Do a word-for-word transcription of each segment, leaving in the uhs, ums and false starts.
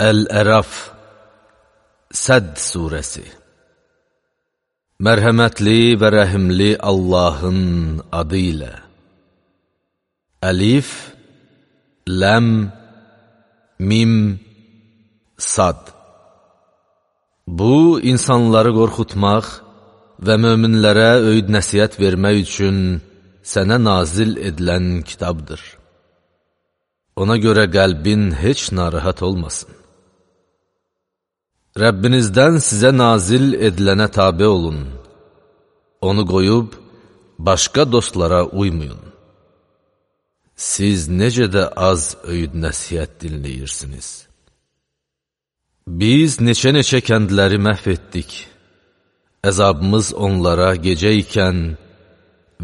Əl-Əraf Sədd surəsi. Mərhəmətli və rəhimli Allahın adı ilə. Əlif, Ləm, Mim, Sad. Bu, insanları qorxutmaq və möminlərə öyüd nəsihət vermək üçün sənə nazil edilən kitabdır. Ona görə qəlbin heç narahat olmasın. Rəbbinizdən sizə nazil edilənə tabe olun. Onu qoyub, başqa dostlara uymayın. Siz necə də az öyüd nəsihət dinləyirsiniz. Biz neçə-neçə kəndləri məhv etdik. Əzabımız onlara gecə ikən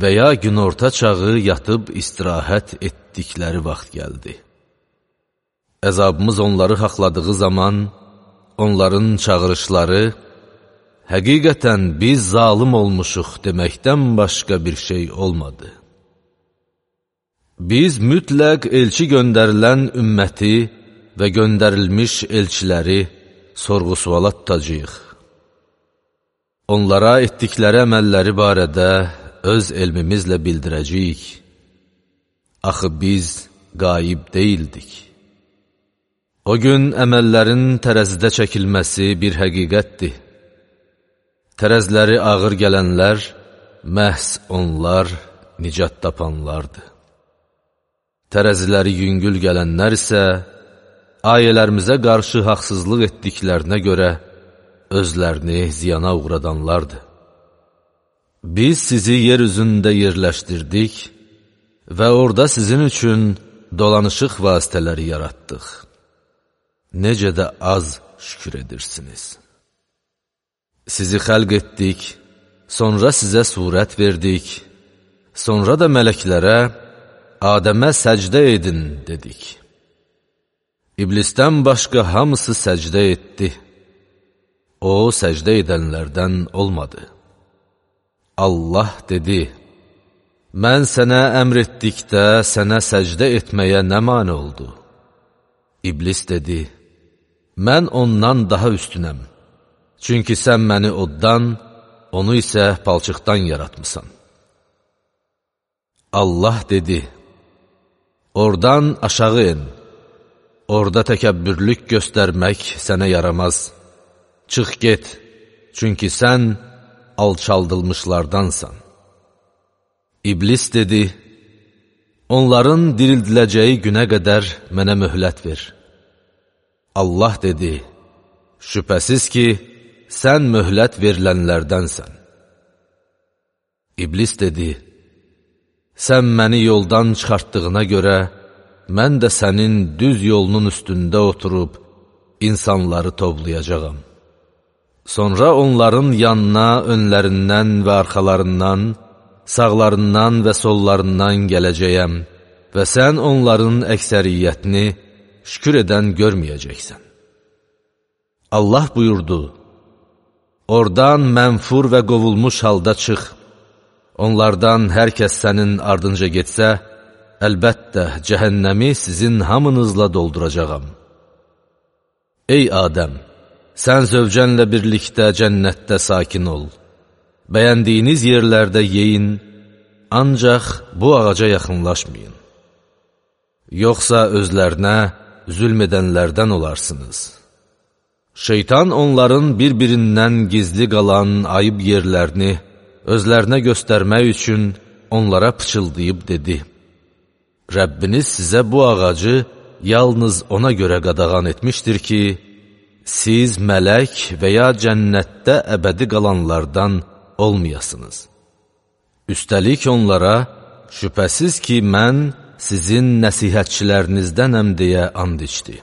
və ya günorta çağı yatıb istirahət etdikləri vaxt gəldi. Əzabımız onları haqladığı zaman, onların çağırışları, həqiqətən biz zalım olmuşuq deməkdən başqa bir şey olmadı. Biz mütləq elçi göndərilən ümməti və göndərilmiş elçiləri sorğu-suala tutacağıq. Onlara etdikləri əməlləri barədə öz elmimizlə bildirəcəyik. Axı biz qaib deyildik. O gün əməllərin tərəzidə çəkilməsi bir həqiqətdir. Tərəzləri ağır gələnlər, məhz onlar nicat tapanlardır. Tərəziləri yüngül gələnlər isə, ayələrimizə qarşı haqsızlıq etdiklərinə görə özlərini ziyana uğradanlardır. Biz sizi yer üzündə yerləşdirdik və orada sizin üçün dolanışıq vasitələri yaratdıq. Necə də az şükür edirsiniz. Sizi xəlq etdik, sonra sizə surət verdik, sonra da mələklərə, Adəmə səcdə edin dedik. İblisdən başqa hamısı səcdə etdi. O, səcdə edənlərdən olmadı. Allah dedi, mən sənə əmr etdikdə sənə səcdə etməyə nə mane oldu? İblis dedi, mən ondan daha üstünəm. Çünki sən məni oddan, onu isə palçıqdan yaratmısan. Allah dedi, oradan aşağı en. Orada təkəbbürlük göstərmək sənə yaramaz. Çıx get, çünki sən alçaldılmışlardansan. İblis dedi, onların dirildiləcəyi günə qədər mənə möhlət ver. Allah dedi, şübhəsiz ki, sən möhlət verilənlərdənsən. İblis dedi, sən məni yoldan çıxartdığına görə, mən də sənin düz yolunun üstündə oturub, insanları toplayacağam. Sonra onların yanına, önlərindən və arxalarından, sağlarından və sollarından gələcəyəm və sən onların əksəriyyətini şükür edən görməyəcəksən. Allah buyurdu, oradan mənfur və qovulmuş halda çıx. Onlardan hər kəs sənin ardınca getsə, əlbəttə cəhənnəmi sizin hamınızla dolduracağam. Ey Adəm, sən zövcənlə birlikdə cənnətdə sakin ol. Bəyəndiyiniz yerlərdə yeyin, ancaq bu ağaca yaxınlaşmayın. Yoxsa özlərinə zülm edənlərdən olarsınız. Şeytan onların bir-birindən gizli qalan ayıb yerlərini özlərinə göstərmək üçün onlara pıçıldayıb dedi, Rəbbiniz sizə bu ağacı yalnız ona görə qadağan etmişdir ki, siz mələk və ya cənnətdə əbədi qalanlardan olmayasınız. Üstəlik onlara, şübhəsiz ki, mən sizin nəsihətçilərinizdənəm deyə and içdi.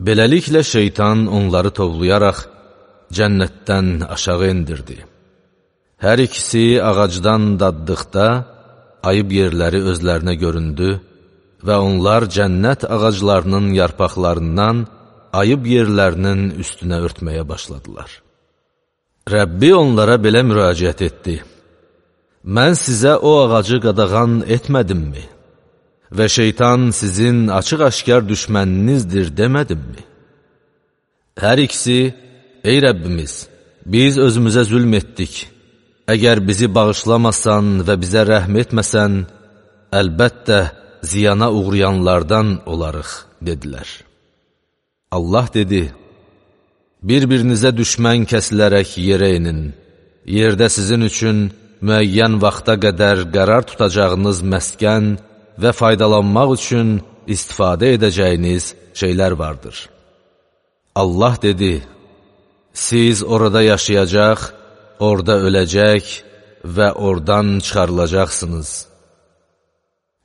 Beləliklə şeytan onları tovlayaraq cənnətdən aşağı endirdi. Hər ikisi ağacdan daddıqda ayıb yerləri özlərinə göründü və onlar cənnət ağaclarının yarpaqlarından ayıb yerlərinin üstünə örtməyə başladılar. Rəbbi onlara belə müraciət etdi. Mən sizə o ağacı qadağan etmədimmi? Və şeytan sizin açıq-aşkar düşməninizdir demədimmi? Hər ikisi, ey Rəbbimiz, biz özümüzə zülm etdik. Əgər bizi bağışlamasan və bizə rəhm etməsən, əlbəttə ziyana uğrayanlardan olarıq, dedilər. Allah dedi, bir-birinizə düşmən kəsilərək yerə inin. Yerdə sizin üçün müəyyən vaxta qədər qərar tutacağınız məskən və faydalanmaq üçün istifadə edəcəyiniz şeylər vardır. Allah dedi, siz orada yaşayacaq, orada öləcək və oradan çıxarılacaqsınız.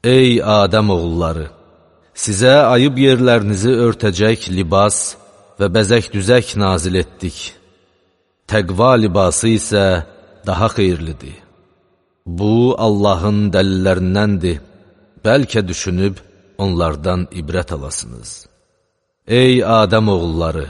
Ey Adəm oğulları! Sizə ayıb yerlərinizi örtəcək libas və bəzək-düzək nazil etdik. Təqva libası isə daha xeyirlidir. Bu, Allahın dəlillərindəndir. Bəlkə düşünüb onlardan ibrət alasınız. Ey Adəm oğulları!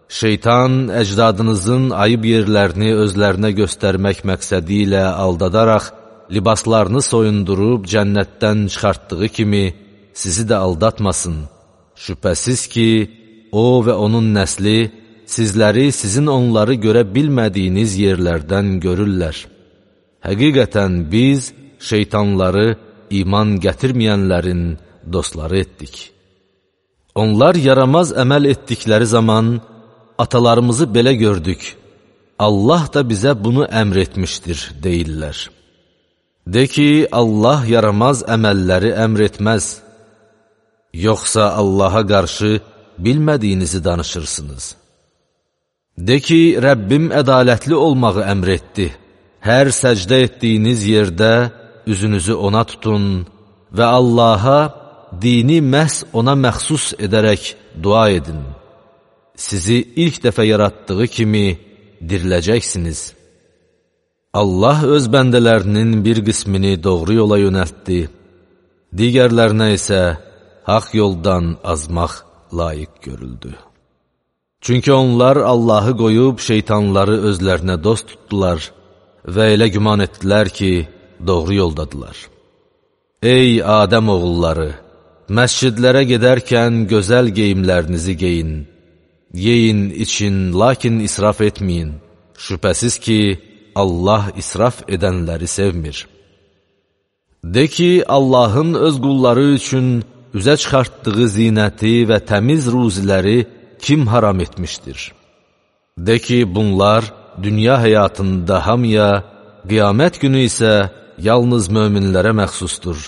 Şeytan əcdadınızın ayıb yerlərini özlərinə göstərmək məqsədi ilə aldadaraq, libaslarını soyundurub cənnətdən çıxartdığı kimi sizi də aldatmasın. Şübhəsiz ki, o və onun nəsli sizləri sizin onları görə bilmədiyiniz yerlərdən görürlər. Həqiqətən biz şeytanları iman gətirməyənlərin dostları etdik. Onlar yaramaz əməl etdikləri zaman, atalarımızı belə gördük, Allah da bizə bunu əmr etmişdir, deyirlər. De ki, Allah yaramaz əməlləri əmr etməz. Yoxsa Allaha qarşı bilmədiyinizi danışırsınız. De ki, Rəbbim ədalətli olmağı əmr etdi. Hər səcdə etdiyiniz yerdə üzünüzü ona tutun və Allaha dini məhz ona məxsus edərək dua edin. Sizi ilk dəfə yaratdığı kimi diriləcəksiniz. Allah öz bəndələrinin bir qismini doğru yola yönəltdi, digərlərinə isə haqq yoldan azmaq layiq görüldü. Çünki onlar Allahı qoyub şeytanları özlərinə dost tutdular və elə güman etdilər ki, doğru yoldadılar. Ey Adəm oğulları! Məscidlərə gedərkən gözəl geyimlərinizi geyin. Yeyin, için, lakin israf etməyin. Şübhəsiz ki, Allah israf edənləri sevmir. De ki, Allahın öz qulları üçün üzə çıxartdığı zinəti və təmiz ruziləri kim haram etmişdir? De ki, bunlar dünya həyatında hamıya, qiyamət günü isə yalnız möminlərə məxsusdur.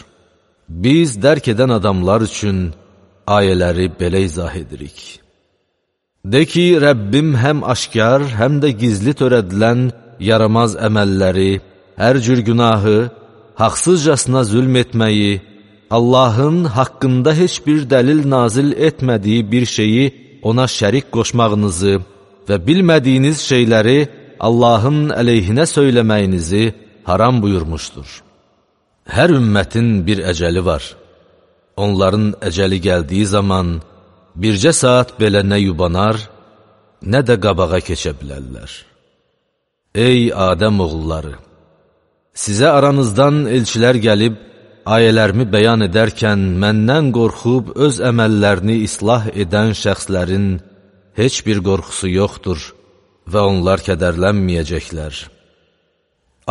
Biz dərk edən adamlar üçün ayələri belə izah edirik. De ki, Rəbbim həm aşkar, həm də gizli törədilən yaramaz əməlləri, hər cür günahı, haqsızcasına zülm etməyi, Allahın haqqında heç bir dəlil nazil etmədiyi bir şeyi ona şərik qoşmağınızı və bilmədiyiniz şeyləri Allahın əleyhinə söyləməyinizi haram buyurmuşdur. Hər ümmətin bir əcəli var. Onların əcəli gəldiyi zaman bircə saat belə nə yubanar, nə də qabağa keçə bilərlər. Ey Adəm oğulları! Sizə aranızdan elçilər gəlib, ayələrimi bəyan edərkən məndən qorxub öz əməllərini islah edən şəxslərin heç bir qorxusu yoxdur və onlar kədərlənməyəcəklər.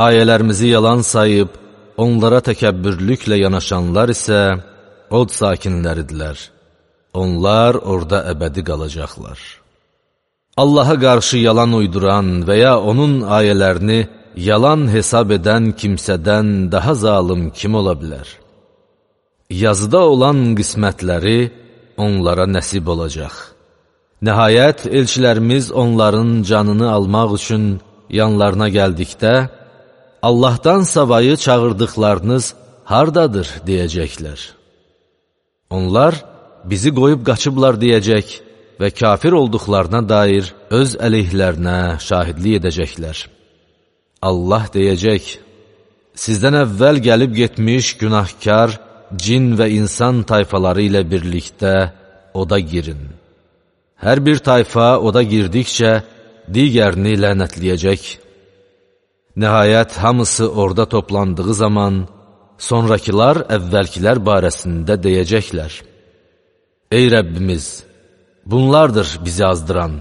Ayələrimizi yalan sayıb, onlara təkəbbürlüklə yanaşanlar isə od sakinləridirlər. Onlar orada əbədi qalacaqlar. Allaha qarşı yalan uyduran və ya onun ayələrini yalan hesab edən kimsədən daha zalım kim ola bilər? Yazıda olan qismətləri onlara nəsib olacaq. Nəhayət, elçilərimiz onların canını almaq üçün yanlarına gəldikdə, Allahdan savayı çağırdıqlarınız hardadır, deyəcəklər. Onlar bizi qoyub qaçıblar deyəcək və kafir olduqlarına dair öz əleyhlərinə şahidlik edəcəklər. Allah deyəcək, sizdən əvvəl gəlib getmiş günahkar, cin və insan tayfaları ilə birlikdə oda girin. Hər bir tayfa oda girdikcə digərini lənətləyəcək. Nəhayət, hamısı orada toplandığı zaman, sonrakılar əvvəlkilər barəsində deyəcəklər. Ey Rəbbimiz, bunlardır bizi azdıran.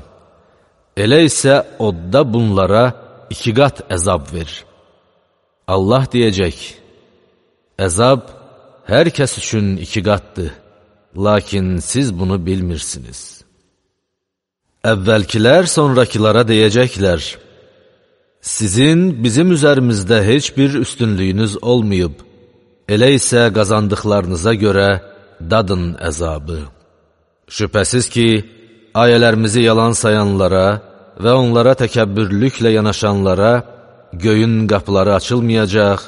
Elə isə odda bunlara iki qat əzab verir. Allah deyəcək, əzab hər kəs üçün iki qatdır, lakin siz bunu bilmirsiniz. Əvvəlkilər sonrakılara deyəcəklər, sizin bizim üzərimizdə heç bir üstünlüyünüz olmayıb, elə isə qazandıqlarınıza görə dadın əzabı. Şübhəsiz ki, ayələrimizi yalan sayanlara və onlara təkəbbürlüklə yanaşanlara göyün qapıları açılmayacaq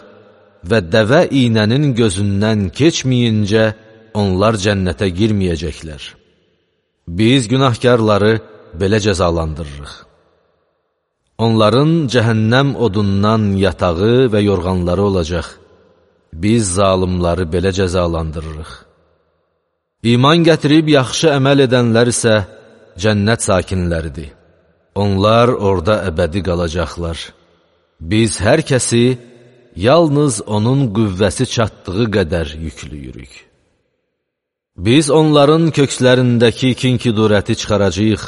və dəvə iynənin gözündən keçməyincə onlar cənnətə girməyəcəklər. Biz günahkarları belə cəzalandırırıq. Onların cəhənnəm odundan yatağı və yorğanları olacaq. Biz zalimları belə cəzalandırırıq. İman gətirib yaxşı əməl edənlər isə cənnət sakinləridir. Onlar orada əbədi qalacaqlar. Biz hər kəsi yalnız onun qüvvəsi çatdığı qədər yüklüyürük. Biz onların kökslərindəki kin-kudurəti çıxaracağıq.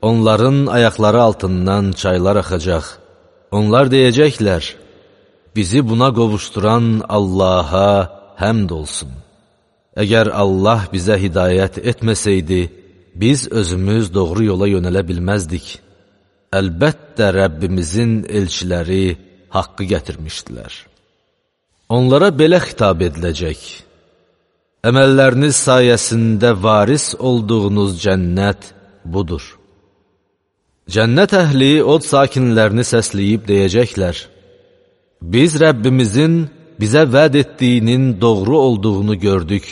Onların ayaqları altından çaylar axacaq. Onlar deyəcəklər, bizi buna qovuşduran Allaha həmd olsun. Əgər Allah bizə hidayət etməsəydi, biz özümüz doğru yola yönələ bilməzdik. Əlbəttə Rəbbimizin elçiləri haqqı gətirmişdilər. Onlara belə xitab ediləcək, əməlləriniz sayəsində varis olduğunuz cənnət budur. Cənnət əhli od sakinlərini səsləyib deyəcəklər, biz Rəbbimizin bizə vəd etdiyinin doğru olduğunu gördük.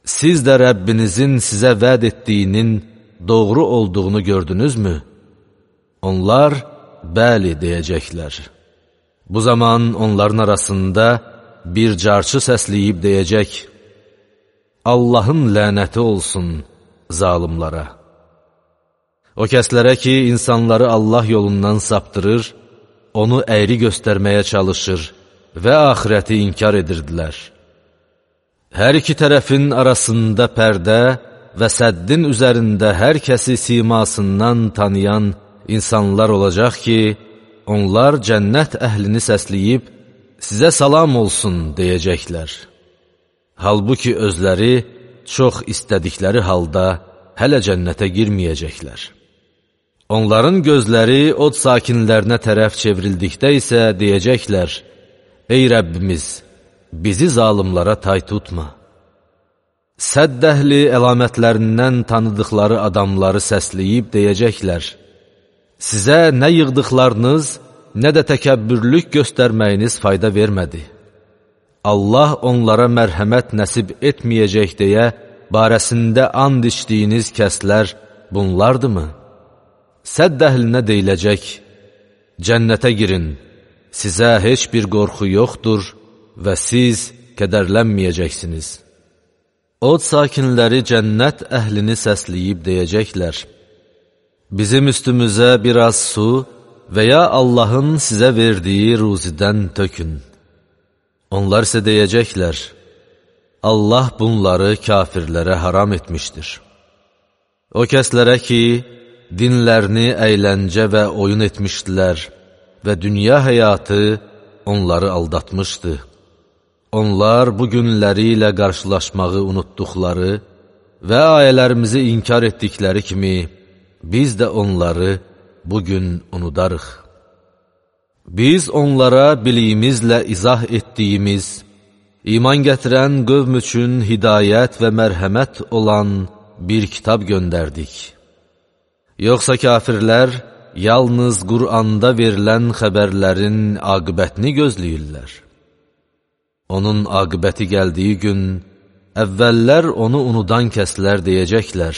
Siz də Rəbbinizin sizə vəd etdiyinin doğru olduğunu gördünüzmü? Onlar, bəli deyəcəklər. Bu zaman onların arasında bir carçı səsləyib deyəcək, Allahın lənəti olsun zalimlara. O kəslərə ki, insanları Allah yolundan saptırır, onu əyri göstərməyə çalışır və axirəti inkar edirdilər. Hər iki tərəfin arasında pərdə və səddin üzərində hər kəsi simasından tanıyan insanlar olacaq ki, onlar cənnət əhlini səsləyib, sizə salam olsun deyəcəklər. Halbuki özləri çox istədikləri halda hələ cənnətə girməyəcəklər. Onların gözləri od sakinlərinə tərəf çevrildikdə isə deyəcəklər, ey Rəbbimiz, bizi zalimlara tay tutma. Sədd əhli əlamətlərindən tanıdıqları adamları səsləyib deyəcəklər, sizə nə yığdıqlarınız, nə də təkəbbürlük göstərməyiniz fayda vermədi. Allah onlara mərhəmət nəsib etməyəcək deyə barəsində and içdiyiniz kəslər bunlardırmı? Sədd əhlinə deyiləcək, cənnətə girin, sizə heç bir qorxu yoxdur və siz kədərlənməyəcəksiniz. Od sakinləri cənnət əhlini səsləyib deyəcəklər, bizim üstümüzə biraz su və ya Allahın sizə verdiyi ruzidən tökün. Onlar isə deyəcəklər, Allah bunları kafirlərə haram etmişdir. O kəslərə ki, dinlərini əyləncə və oyun etmişdilər və dünya həyatı onları aldatmışdı. Onlar bu günləri ilə qarşılaşmağı unutduqları və ayələrimizi inkar etdikləri kimi, biz də onları bugün unudarıq. Biz onlara biliyimizlə izah etdiyimiz, iman gətirən qövm üçün hidayət və mərhəmət olan bir kitab göndərdik. Yoxsa kafirlər yalnız Qur'anda verilən xəbərlərin aqibətini gözləyirlər. Onun aqibəti gəldiyi gün, əvvəllər onu unudan kəslər deyəcəklər,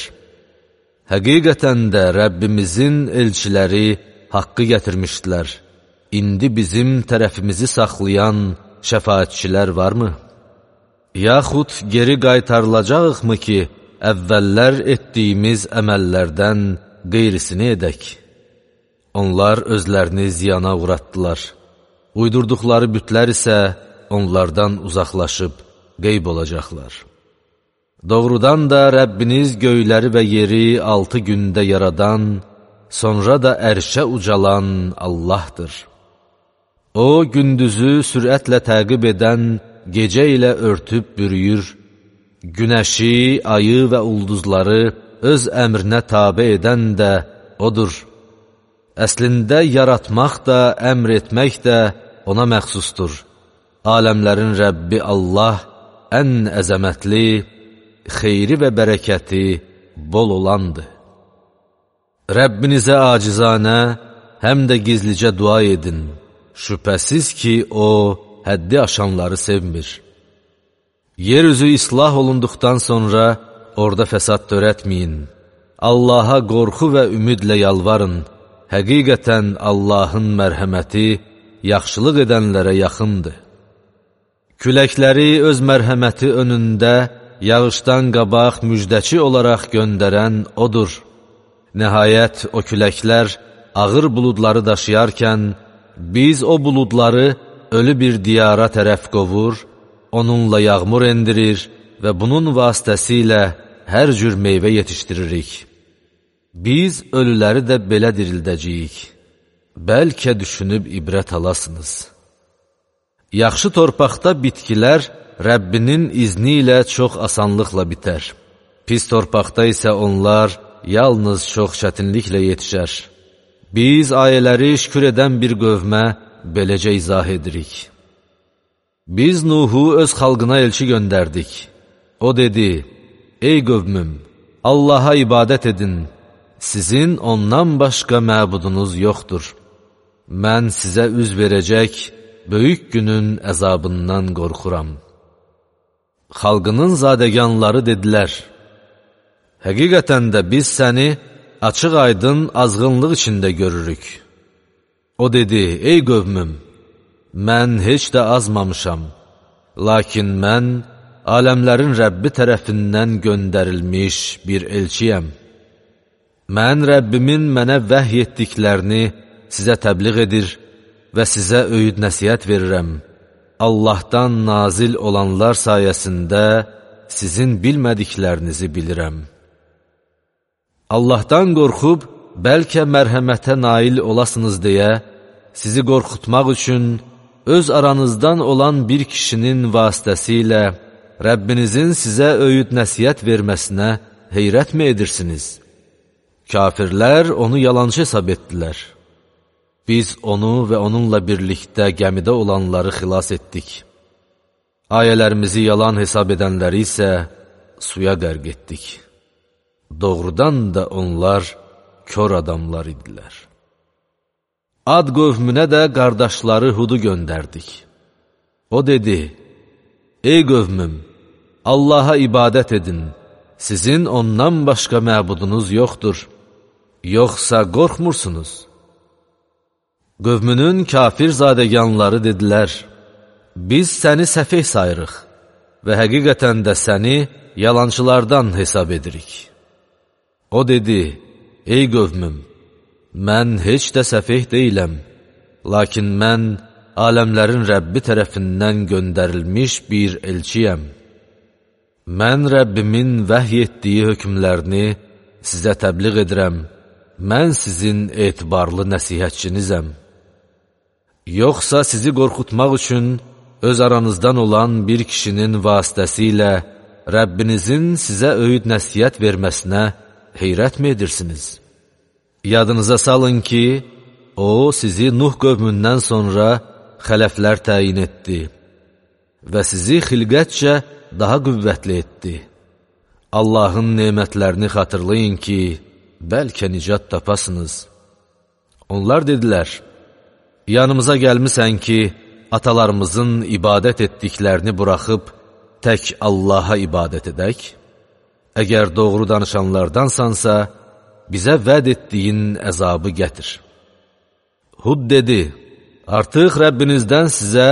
həqiqətən də Rəbbimizin elçiləri haqqı gətirmişdilər. İndi bizim tərəfimizi saxlayan şəfaətçilər varmı? Yaxud geri qaytarılacaqmı ki, əvvəllər etdiyimiz əməllərdən qeyrisini edək? Onlar özlərini ziyana uğratdılar. Uydurduqları bütlər isə onlardan uzaqlaşıb qeyb olacaqlar. Doğrudan da Rəbbiniz göyləri və yeri altı gündə yaradan, sonra da ərşə ucalan Allahdır. O, gündüzü sürətlə təqib edən, gecə ilə örtüb bürüyür, günəşi, ayı və ulduzları öz əmrinə tabe edən də Odur. Əslində, yaratmaq da, əmr etmək də ona məxsusdur. Aləmlərin Rəbbi Allah ən əzəmətli, xeyri və bərəkəti bol olandır. Rəbbinizə acizanə, həm də gizlicə dua edin. Şübhəsiz ki, O, həddi aşanları sevmir. Yeryüzü islah olunduqdan sonra orada fəsad törətməyin. Allaha qorxu və ümidlə yalvarın. Həqiqətən Allahın mərhəməti yaxşılıq edənlərə yaxındır. Küləkləri öz mərhəməti önündə yağışdan qabaq müjdəçi olaraq göndərən Odur. Nəhayət o küləklər ağır buludları daşıyarkən, biz o buludları ölü bir diyara tərəf qovur, onunla yağmur endirir və bunun vasitəsilə hər cür meyvə yetişdiririk. Biz ölüləri də belə dirildəcəyik. Bəlkə düşünüb ibrət alasınız. Yaxşı torpaqda bitkilər Rəbbinin izni ilə çox asanlıqla bitər. Pis torpaqda isə onlar yalnız çox çətinliklə yetişər. Biz ayələri şükür edən bir qövmə beləcə izah edirik. Biz Nuhu öz xalqına elçi göndərdik. O dedi, ey qövmüm, Allaha ibadət edin, sizin ondan başqa məbudunuz yoxdur. Mən sizə üz verəcək, böyük günün əzabından qorxuram. Xalqının zadəganları dedilər, həqiqətən də biz səni açıq aydın azğınlıq içində görürük. O dedi, ey qövmüm, mən heç də azmamışam, lakin mən aləmlərin Rəbbi tərəfindən göndərilmiş bir elçiyəm. Mən Rəbbimin mənə vəhy etdiklərini sizə təbliğ edir və sizə öyüd nəsihət verirəm. Allahdan nazil olanlar sayəsində sizin bilmədiklərinizi bilirəm. Allahdan qorxub, bəlkə mərhəmətə nail olasınız deyə, sizi qorxutmaq üçün öz aranızdan olan bir kişinin vasitəsilə Rəbbinizin sizə öyüd nəsihət verməsinə heyrətmi edirsiniz? Kafirlər onu yalancı hesab etdilər. Biz onu və onunla birlikdə gəmidə olanları xilas etdik. Ayələrimizi yalan hesab edənləri isə suya qərq etdik. Doğrudan da onlar kör adamlar idilər. Ad qövmünə də qardaşları Hudu göndərdik. O dedi, ey qövmüm, Allaha ibadət edin, sizin ondan başqa məbudunuz yoxdur, yoxsa qorxmursunuz? Qövmünün kafir zadəganları dedilər, biz səni səfeh sayırıq və həqiqətən də səni yalancılardan hesab edirik. O dedi, ey qövmüm, mən heç də səfeh deyiləm, lakin mən aləmlərin Rəbbi tərəfindən göndərilmiş bir elçiyəm. Mən Rəbbimin vəhy etdiyi hökmlərini sizə təbliğ edirəm, mən sizin etibarlı nəsihətçinizəm. Yoxsa sizi qorxutmaq üçün öz aranızdan olan bir kişinin vasitəsilə Rəbbinizin sizə öyüd nəsihət verməsinə heyrətmi edirsiniz? Yadınıza salın ki, O, sizi Nuh qövmündən sonra xələflər təyin etdi və sizi xilqətcə daha qüvvətli etdi. Allahın nemətlərini xatırlayın ki, bəlkə nicat tapasınız. Onlar dedilər, yanımıza gəlmisən ki, atalarımızın ibadət etdiklərini buraxıb, tək Allaha ibadət edək? Əgər doğru danışanlardansansa, bizə vəd etdiyin əzabı gətir. Hud dedi, artıq Rəbbinizdən sizə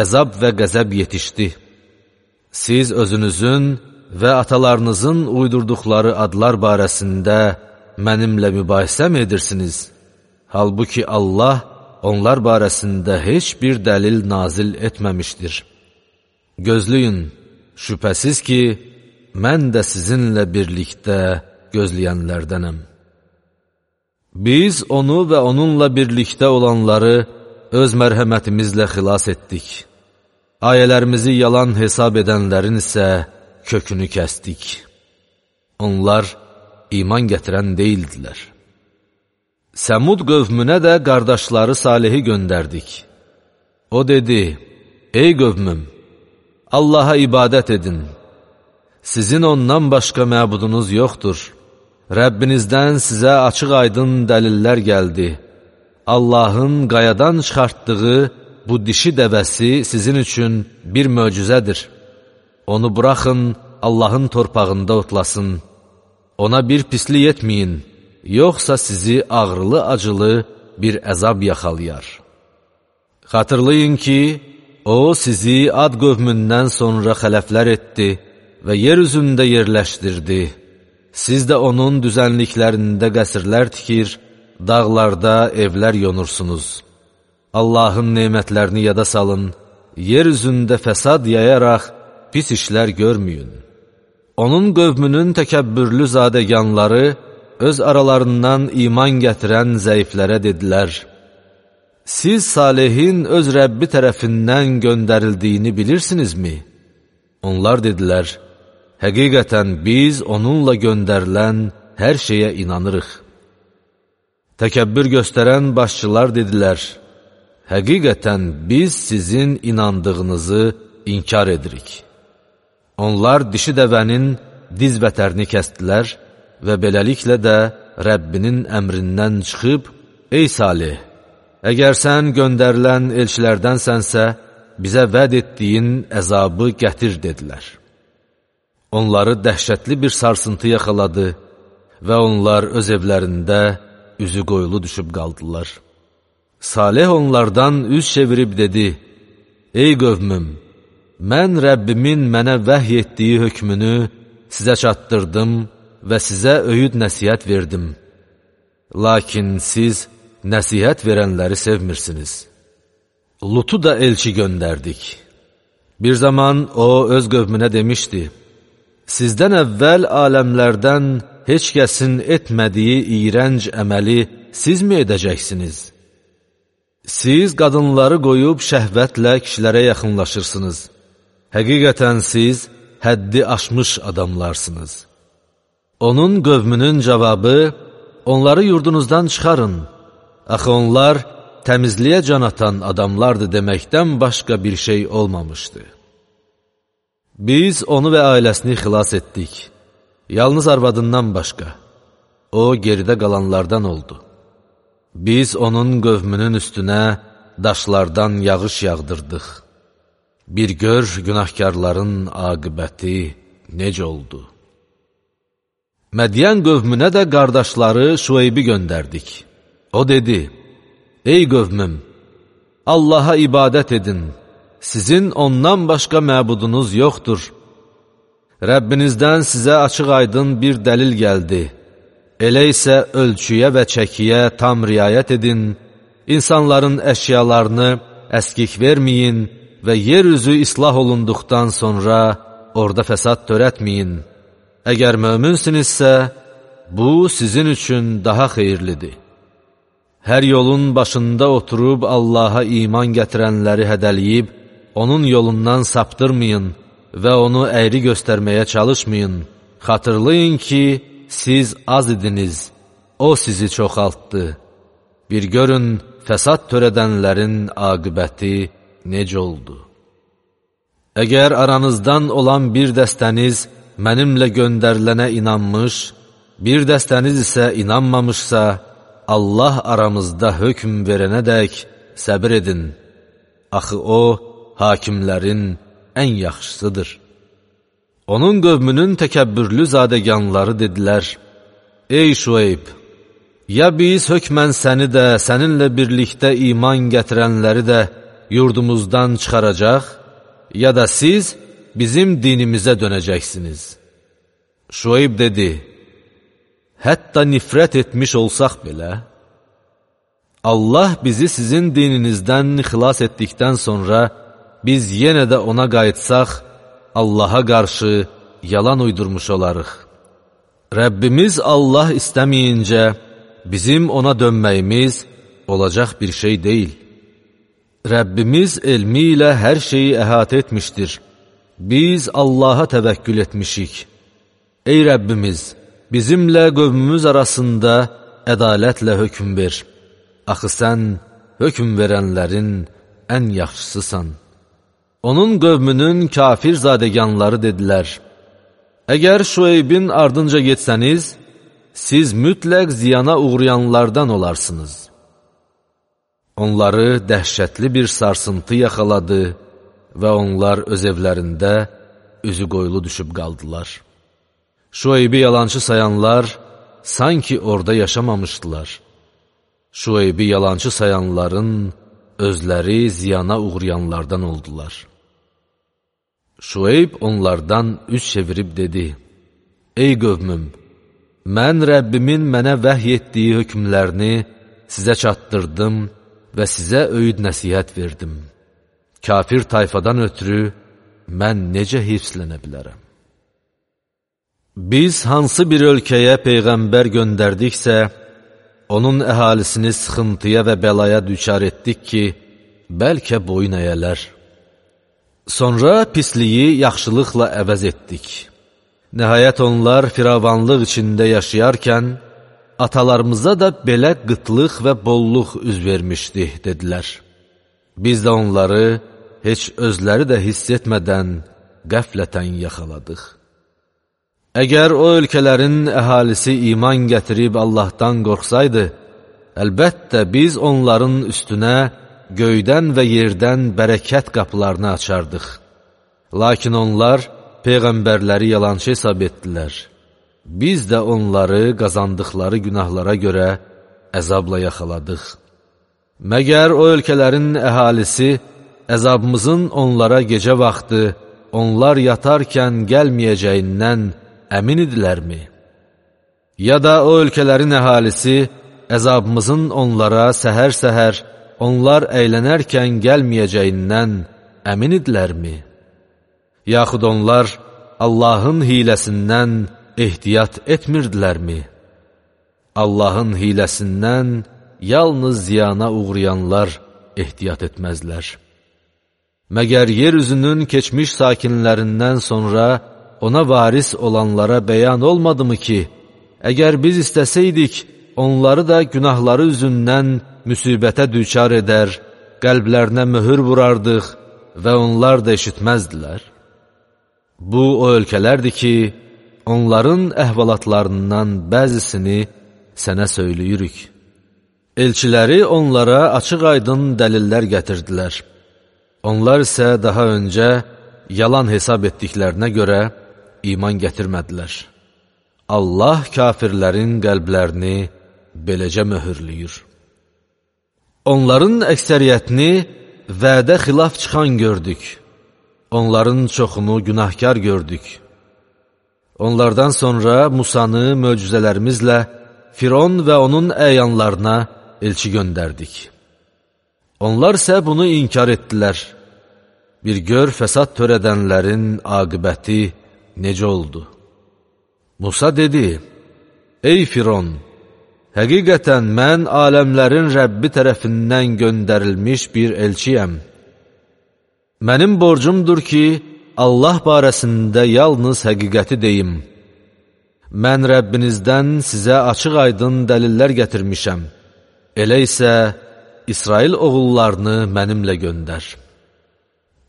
əzab və qəzəb yetişdi. Siz özünüzün və atalarınızın uydurduqları adlar barəsində mənimlə mübahisə mi edirsiniz? Halbuki Allah onlar barəsində heç bir dəlil nazil etməmişdir. Gözləyin, şübhəsiz ki, mən də sizinlə birlikdə gözləyənlərdənəm. Biz onu və onunla birlikdə olanları öz mərhəmətimizlə xilas etdik. Ayələrimizi yalan hesab edənlərin isə kökünü kəsdik. Onlar iman gətirən deyildilər. Səmud qövmünə də qardaşları Salihi göndərdik. O dedi, ey qövmüm, Allaha ibadət edin. Sizin ondan başqa məbudunuz yoxdur. Rəbbinizdən sizə açıq aydın dəlillər gəldi. Allahın qayadan çıxartdığı bu dişi dəvəsi sizin üçün bir möcüzədir. Onu buraxın, Allahın torpağında otlasın. Ona bir pislik etməyin, yoxsa sizi ağrılı-acılı bir əzab yaxalayar. Xatırlayın ki, O sizi Ad qövmündən sonra xələflər etdi və yer üzündə yerləşdirdi. Siz də onun düzənliklərində qəsrlər tikir, dağlarda evlər yonursunuz. Allahın nemətlərini yada salın, yer üzündə fəsad yayaraq pis işlər görməyin. Onun qövmünün təkəbbürlü zadəganları öz aralarından iman gətirən zəiflərə dedilər, siz Salihin öz Rəbbi tərəfindən göndərildiyini bilirsinizmi? Onlar dedilər, həqiqətən biz onunla göndərilən hər şeyə inanırıq. Təkəbbür göstərən başçılar dedilər, həqiqətən biz sizin inandığınızı inkar edirik. Onlar dişi dəvənin diz vətərini kəstdilər və beləliklə də Rəbbinin əmrindən çıxıb, ey Salih, əgər sən göndərilən elçilərdənsənsə, bizə vəd etdiyin əzabı gətir, dedilər. Onları dəhşətli bir sarsıntı yaxaladı və onlar öz evlərində üzü qoyulu düşüb qaldılar. Salih onlardan üz çevirib dedi, ey qövmüm, mən Rəbbimin mənə vəhy etdiyi hökmünü sizə çatdırdım və sizə öyüd nəsihət verdim. Lakin siz nəsihət verənləri sevmirsiniz. Lutu da elçi göndərdik. Bir zaman o öz qövmünə demişdi, sizdən əvvəl aləmlərdən heç kəsin etmədiyi iyrənc əməli siz mi edəcəksiniz? Siz qadınları qoyub şəhvətlə kişilərə yaxınlaşırsınız. Həqiqətən siz həddi aşmış adamlarsınız. Onun qövmünün cavabı, onları yurdunuzdan çıxarın. Axı onlar təmizliyə can atan adamlardı deməkdən başqa bir şey olmamışdı. Biz onu və ailəsini xilas etdik. Yalnız arvadından başqa. O geridə qalanlardan oldu. Biz onun qövmünün üstünə daşlardan yağış yağdırdıq. Bir gör günahkarların aqibəti necə oldu. Mədiyən qövmünə də qardaşları Şueybi göndərdik. O dedi, ey qövmüm, Allaha ibadət edin, sizin ondan başqa məbudunuz yoxdur. Rəbbinizdən sizə açıq aydın bir dəlil gəldi. Elə isə ölçüyə və çəkiyə tam riayət edin, insanların əşyalarını əskik verməyin və yer üzü islah olunduqdan sonra orada fəsad törətməyin. Əgər möminsinizsə, bu sizin üçün daha xeyirlidir. Hər yolun başında oturub Allaha iman gətirənləri hədəliyib, onun yolundan saptırmayın və onu əyri göstərməyə çalışmayın. Xatırlayın ki, siz az idiniz, o sizi çoxaltdı. Bir görün, fəsad törədənlərin aqibəti necə oldu? Əgər aranızdan olan bir dəstəniz mənimlə göndərilənə inanmış, bir dəstəniz isə inanmamışsa, Allah aramızda hökm verənədək səbir edin. Axı o, hakimlərin ən yaxşısıdır. Onun qövmünün təkəbbürlü zadəganları dedilər, ey Şueyb, ya biz hökmən səni də, səninlə birlikdə iman gətirənləri də yurdumuzdan çıxaracaq, ya da siz bizim dinimizə dönəcəksiniz. Şueyb dedi, hətta nifrət etmiş olsaq belə, Allah bizi sizin dininizdən xilas etdikdən sonra biz yenə də ona qayıtsaq, Allaha qarşı yalan uydurmuş olarıq. Rəbbimiz Allah istəməyincə bizim ona dönməyimiz olacaq bir şey deyil. Rəbbimiz elmi ilə hər şeyi əhatə etmişdir. Biz Allaha təvəkkül etmişik. Ey Rəbbimiz, bizimlə qövmümüz arasında ədalətlə hökm ver. Axı sən hökm verənlərin ən yaxşısısan. Onun qövmünün kafir zadəganları dedilər: Əgər Şueybin ardınca getsəniz, siz mütləq ziyana uğrayanlardan olarsınız. Onları dəhşətli bir sarsıntı yaxaladı və onlar öz evlərində üzü qoyulu düşüb qaldılar. Şueybi yalançı sayanlar sanki orada yaşamamışdılar. Şueybi yalançı sayanların özləri ziyana uğrayanlardan oldular. Şueyb onlardan üz çevirib dedi: Ey qövmüm, mən Rəbbimin mənə vəhy etdiyi hökmlərini sizə çatdırdım və sizə öyüd nəsihət verdim. Kafir tayfadan ötürü mən necə hifzlənə bilərəm? Biz hansı bir ölkəyə peyğəmbər göndərdiksə, onun əhalisini sıxıntıya və bəlaya düçar etdik ki, bəlkə boyun əyələr. Sonra pisliyi yaxşılıqla əvəz etdik. Nəhayət onlar firavanlıq içində yaşayarkən, atalarımıza da belə qıtlıq və bolluq üz vermişdi, dedilər. Biz də onları heç özləri də hiss etmədən qəflətən yaxaladıq. Əgər o ölkələrin əhalisi iman gətirib Allahdan qorxsaydı, əlbəttə biz onların üstünə göydən və yerdən bərəkət qapılarını açardıq. Lakin onlar peyğəmbərləri yalançı hesab etdilər. Biz də onları qazandıqları günahlara görə əzabla yaxaladıq. Məgər o ölkələrin əhalisi əzabımızın onlara gecə vaxtı, onlar yatarkən gəlməyəcəyindən əmin idilərmi? Ya da o ölkələrin əhalisi əzabımızın onlara səhər-səhər, onlar əylənərkən gəlməyəcəyindən əmin idilərmi? Yaxud onlar Allahın hiləsindən ehtiyat etmirdilərmi? Allahın hiləsindən yalnız ziyana uğrayanlar ehtiyat etməzlər. Məgər yeryüzünün keçmiş sakinlərindən sonra ona varis olanlara bəyan olmadı mı ki, əgər biz istəsəydik, onları da günahları üzündən müsibətə düçar edər, qəlblərinə möhür vurardıq və onlar da eşitməzdilər. Bu, o ölkələrdir ki, onların əhvalatlarından bəzisini sənə söyləyirik. Elçiləri onlara açıq-aydın dəlillər gətirdilər. Onlar isə daha öncə yalan hesab etdiklərinə görə iman gətirmədilər. Allah kafirlərin qəlblərini beləcə möhürləyir. Onların əksəriyyətini vədə xilaf çıxan gördük. Onların çoxunu günahkar gördük. Onlardan sonra Musanı möcüzələrimizlə Firon və onun əyanlarına elçi göndərdik. Onlar isə bunu inkar etdilər. Bir gör fəsad törədənlərin aqibəti necə oldu? Musa dedi: Ey Firon, həqiqətən mən aləmlərin Rəbbi tərəfindən göndərilmiş bir elçiyəm. Mənim borcumdur ki, Allah barəsində yalnız həqiqəti deyim. Mən Rəbbinizdən sizə açıq-aydın dəlillər gətirmişəm. Elə isə İsrail oğullarını mənimlə göndər.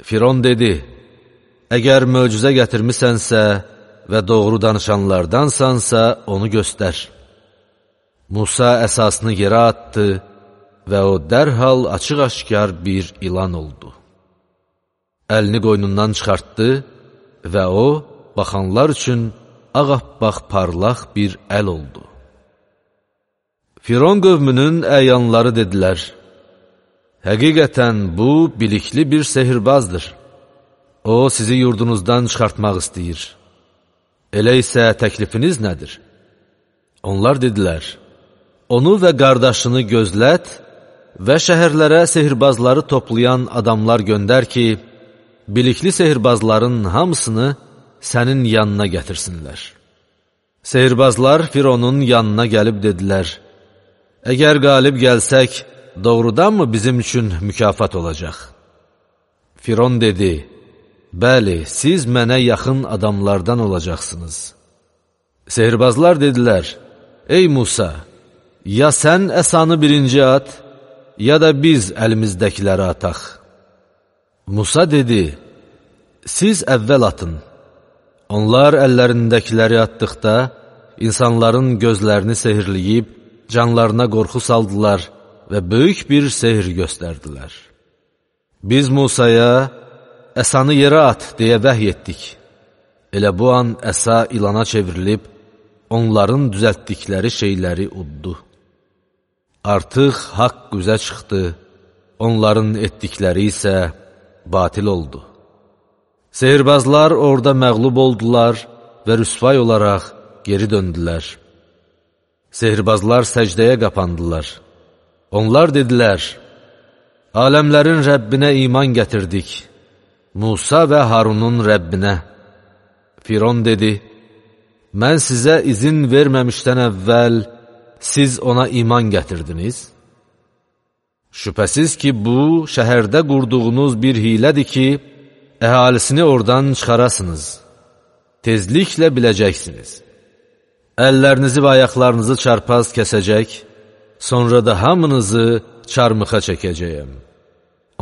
Firon dedi: Əgər möcüzə gətirmisənsə və doğru danışanlardansansa onu göstər. Musa əsasını yerə atdı və o dərhal açıq-aşkar bir ilan oldu. Əlini qoynundan çıxartdı və o, baxanlar üçün ağappaq parlaq bir əl oldu. Firon qövmünün əyanları dedilər: Həqiqətən bu bilikli bir sehirbazdır. O, sizi yurdunuzdan çıxartmaq istəyir. Elə isə təklifiniz nədir? Onlar dedilər: Onu və qardaşını gözlət və şəhərlərə sehirbazları toplayan adamlar göndər ki, bilikli sehirbazların hamısını sənin yanına gətirsinlər. Sehirbazlar Fironun yanına gəlib dedilər: Əgər qalib gəlsək, doğrudanmı bizim üçün mükafat olacaq? Firon dedi, bəli, siz mənə yaxın adamlardan olacaqsınız. Sehirbazlar dedilər, ey Musa, ya sən əsanı birinci at, ya da biz əlimizdəkiləri ataq. Musa dedi, siz əvvəl atın. Onlar əllərindəkiləri atdıqda, insanların gözlərini sehirləyib, canlarına qorxu saldılar və böyük bir sehir göstərdilər. Biz Musaya, əsanı yerə at, deyə vəhy etdik. Elə bu an əsa ilana çevrilib, onların düzəltdikləri şeyləri uddu. Artıq haqq üzə çıxdı, onların etdikləri isə batil oldu. Sehirbazlar orada məğlub oldular və rüsvay olaraq geri döndülər. Sehirbazlar səcdəyə qapandılar. Onlar dedilər, aləmlərin Rəbbinə iman gətirdik, Musa və Harunun Rəbbinə. Firon dedi, mən sizə izin verməmişdən əvvəl siz ona iman gətirdiniz. Şübhəsiz ki, bu, şəhərdə qurduğunuz bir hilədir ki, əhalisini oradan çıxarasınız. Tezliklə biləcəksiniz. Əllərinizi və ayaqlarınızı çarpaz kəsəcək, sonra da hamınızı çarmıxa çəkəcəyəm.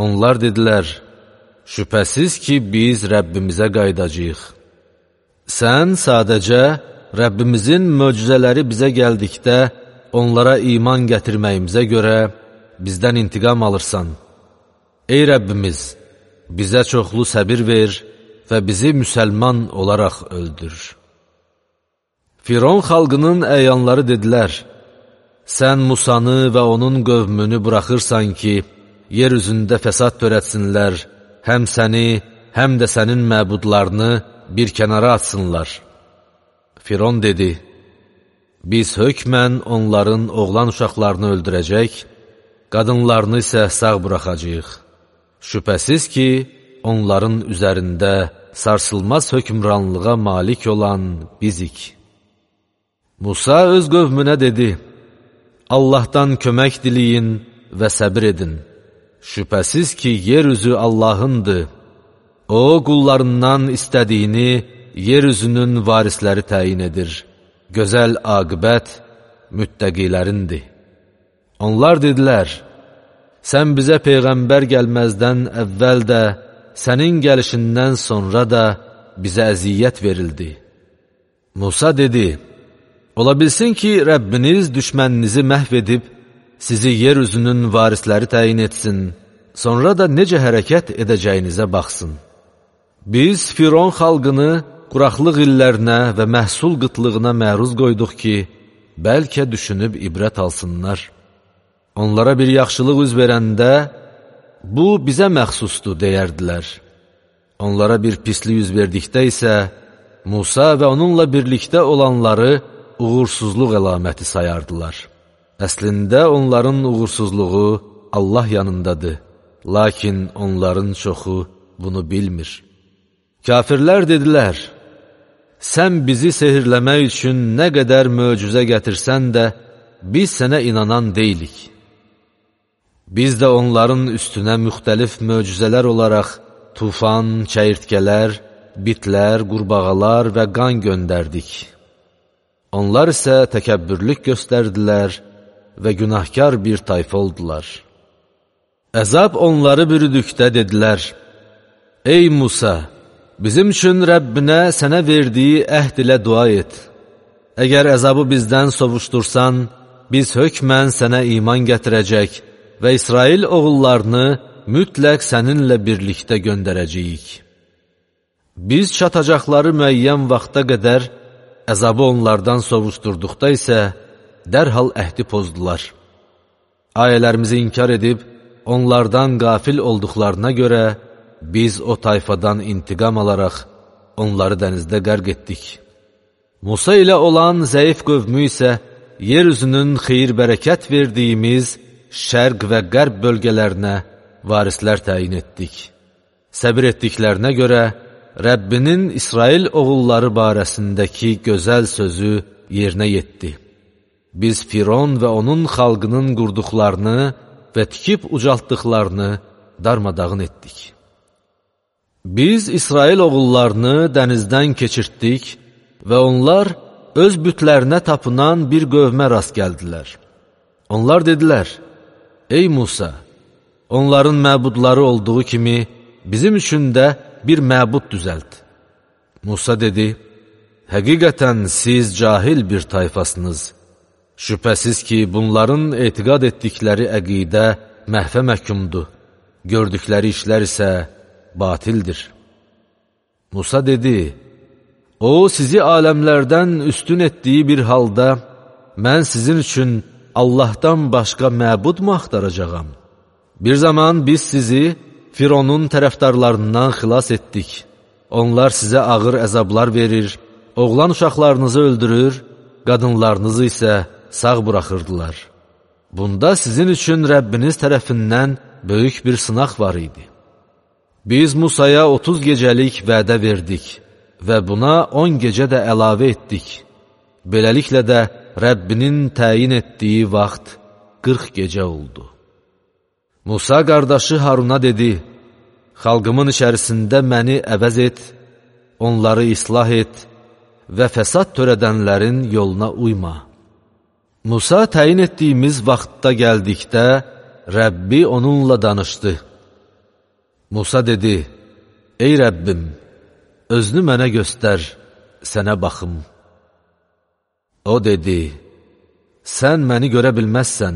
Onlar dedilər, şübhəsiz ki, biz Rəbbimizə qaydacağıq. Sən sadəcə Rəbbimizin möcüzələri bizə gəldikdə, onlara iman gətirməyimizə görə bizdən intiqam alırsan. Ey Rəbbimiz, bizə çoxlu səbir ver və bizi müsəlman olaraq öldür. Firon xalqının əyanları dedilər, sən Musanı və onun qövmünü buraxırsan ki, yer üzündə fəsad törətsinlər, həm səni, həm də sənin məbudlarını bir kənara atsınlar. Firon dedi, biz hökmən onların oğlan uşaqlarını öldürəcək, qadınlarını isə sağ buraxacaq. Şübhəsiz ki, onların üzərində sarsılmaz hökmranlığa malik olan bizik. Musa öz qövmünə dedi, Allahdan kömək diləyin və səbir edin. Şübhəsiz ki, yer üzü Allahındır. O, qullarından istədiyini yer üzünün varisləri təyin edir. Gözəl aqibət müttəqilərindir. Onlar dedilər, sən bizə Peyğəmbər gəlməzdən əvvəl də, sənin gəlişindən sonra da bizə əziyyət verildi. Musa dedi, ola bilsin ki, Rəbbiniz düşməninizi məhv edib, sizi yer üzünün varisləri təyin etsin, sonra da necə hərəkət edəcəyinizə baxsın. Biz Firon xalqını quraqlıq illərinə və məhsul qıtlığına məruz qoyduq ki, bəlkə düşünüb ibrət alsınlar. Onlara bir yaxşılıq üz verəndə, bu bizə məxsusdur, deyərdilər. Onlara bir pislik üz verdikdə isə, Musa və onunla birlikdə olanları uğursuzluq əlaməti sayardılar. Əslində onların uğursuzluğu Allah yanındadır, lakin onların çoxu bunu bilmir. Kafirlər dedilər, sən bizi sehirləmək üçün nə qədər möcüzə gətirsən də, biz sənə inanan deyilik. Biz də onların üstünə müxtəlif möcüzələr olaraq tufan, çəyirtkələr, bitlər, qurbağalar və qan göndərdik. Onlar isə təkəbbürlük göstərdilər və günahkar bir tayfa oldular. Əzab onları bürüdükdə dedilər, ey Musa, bizim üçün Rəbbinə sənə verdiyi əhd ilə dua et. Əgər əzabı bizdən sovuşdursan, biz hökmən sənə iman gətirəcək və İsrail oğullarını mütləq səninlə birlikdə göndərəcəyik. Biz çatacaqları müəyyən vaxta qədər əzabı onlardan sovuşdurduqda isə dərhal əhdi pozdular. Ayələrimizi inkar edib, onlardan qafil olduqlarına görə biz o tayfadan intiqam alaraq onları dənizdə qərq etdik. Musa ilə olan zəif qövmü isə yer üzünün xeyir-bərəkət verdiyimiz şərq və qərb bölgələrinə varislər təyin etdik. Səbir etdiklərinə görə Rəbbinin İsrail oğulları barəsindəki gözəl sözü yerinə yetdi. biz Firon və onun xalqının qurduqlarını və tikib ucaltdıqlarını darmadağın etdik. Biz İsrail oğullarını dənizdən keçirtdik və onlar öz bütlərinə tapınan bir qövmə rast gəldilər. Onlar dedilər, ey Musa, onların məbudları olduğu kimi bizim üçün də bir məbud düzəlt. Musa dedi, həqiqətən siz cahil bir tayfasınız. Şübhəsiz ki, bunların etiqad etdikləri əqidə məhvə məhkumdur, gördükləri işlər isə batildir. Musa dedi, o sizi aləmlərdən üstün etdiyi bir halda, mən sizin üçün Allahdan başqa məbudmu axtaracağam? Bir zaman biz sizi Fironun tərəfdarlarından xilas etdik. Onlar sizə ağır əzablar verir, oğlan uşaqlarınızı öldürür, qadınlarınızı isə sağ buraxırdılar. Bunda sizin üçün Rəbbiniz tərəfindən böyük bir sınaq var idi. Biz Musaya otuz gecəlik vədə verdik və buna on gecə də əlavə etdik. Beləliklə də Rəbbinin təyin etdiyi vaxt qırx gecə oldu. Musa qardaşı Haruna dedi, xalqımın içərisində məni əvəz et, onları islah et və fəsad törədənlərin yoluna uyma. Musa təyin etdiyimiz vaxtda gəldikdə, Rəbbi onunla danışdı. Musa dedi, ey Rəbbim, özünü mənə göstər, sənə baxım. O dedi, sən məni görə bilməzsən,